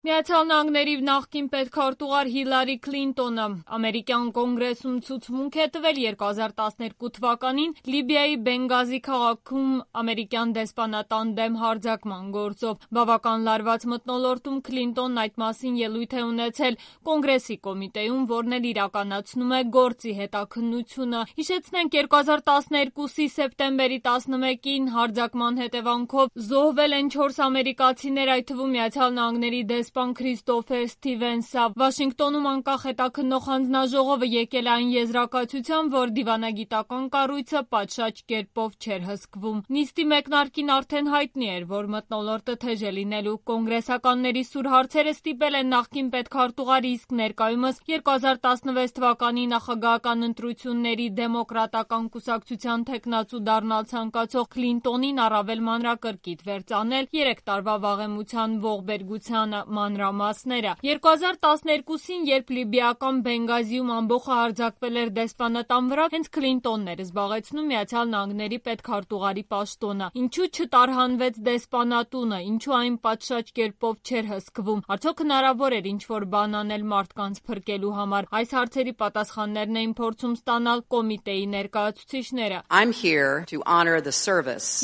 Միացյալ Նահանգների նախկին պետքարտուղար Հիլարի Քլինտոնը ամերիկյան կոնգրեսում ցուցմունք է տվել 2012 թվականին Լիբիայի Բենգազի քաղաքում ամերիկյան դեսպանատան դեմ հարձակման գործով։ Բավական լարված մթնոլորտում Քլինտոնն այդ մասին ելույթ է ունեցել կոնգրեսի կոմիտեում, որն էլ իրականացնում է գործի հետաքննությունը։ Հիշեցնենք 2012-ի սեպտեմբերի 11-ին հարձակման հետևանքով զոհվել են 4 ամերիկացիներ, այդ թվում Միացյալ Նահանգների դեսպան Քրիստոֆեր Սթիվենսը։ Վաշինգտոնում անկախ հետաքննող հանձնաժողովը եկել է այն եզրակացության, որ դիվանագիտական կառույցը պատշաճ կերպով չէր հսկվում։ Նիստի մեկնարկին արդեն հայտնի էր, որ մթնոլորտը թեժ է լինելու։ Կոնգրեսականների սուր հարցերը ստիպել են նախկին պետքարտուղարի, իսկ ներկայումս 2016 թվականի նախագահական ընտրությունների դեմոկրատական կուսակցության թեկնածու դառնալ ցանկացող Քլինտոնին առավել մանրակրկիտ վերծանել 3 տարվա վաղեմության ողբերգությանը մանրամասները։ 2012-ին, երբ լիբիական Բենգազիում ամբոխը հարձակվել էր դեսպանատան վրա, հենց Քլինտոնն էր զբաղեցնում Միացյալ Նահանգների պետքարտուղարի պաշտոնը։ Ինչու չտարհանվեց դեսպանատունը, ինչու այն պատշաճ կերպով չէր հսկվում, արդյոք հնարավոր էր ինչ-որ բան անել մարդկանց փրկելու համար։ Այս հարցերի պատասխաններն էին փորձում ստանալ կոմիտեի ներկայացուցիչները։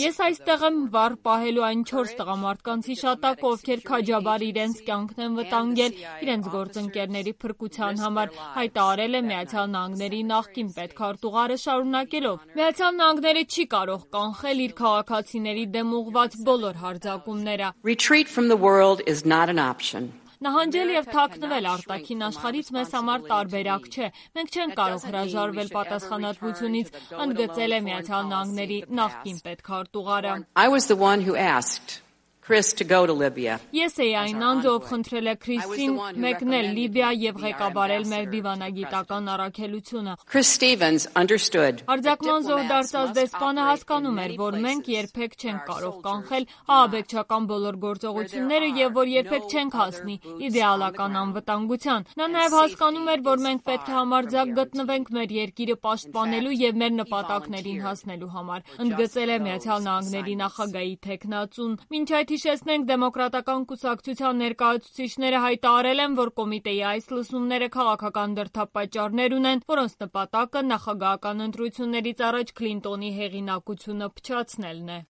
Ես այստեղ եմ վառ պահելու այն 4 տղամարդկանց հիշատակը, ովքեր քաջաբար իրենց կյանքն են վտանգել իրենց գործընկերների փրկության համար, հայտարարել է Միացյալ Նահանգների նախկին պետքարտուղարը, շարունակելով. Միացյալ Նահանգները չի կարող կանխել իր քաղաքացիների դեմ ուղղված բոլոր հարձակումները։ Նահանջել և թաքնվել արտաքին աշխարհից մեզ համար տարբերակ չէ։ Մենք չենք կարող հրաժարվել պատասխանատվությունից, ընդգծել է Միացյալ Նահանգների նախկին պետքարտուղարը։ Ես էի այն անձը, ով խնդրել է Քրիսին մեկնել Լիբիա և ղեկավարել մեր դիվանագիտական առաքելությունը։ Հարձակման զոհ դարձած դեսպանը հասկանում էր, որ մենք երբեք չենք կարող կանխել ահաբեկչական բոլոր գործողությունները և որ երբեք չենք հասնի իդեալական անվտանգության։ Նա նաև հասկանում էր, որ մենք պետք է համարձակ գտնվենք մեր երկիրը պաշտպանելու և մեր նպատակներին հասնելու համար, ընդգծել է Միացյալ Նահանգների նախագահի թեկնածուն։ Մինչ այդ հիշեցնենք, դեմոկրատական կուսակցության ներկայացուցիչները հայտարարել են, որ կոմիտեի այս լսումները քաղաքական դրդապատճառներ ունեն, որոնց նպատակը նախագահական ընտրություններից առաջ Քլինտոնի հեղինակությունը փչացնելն է։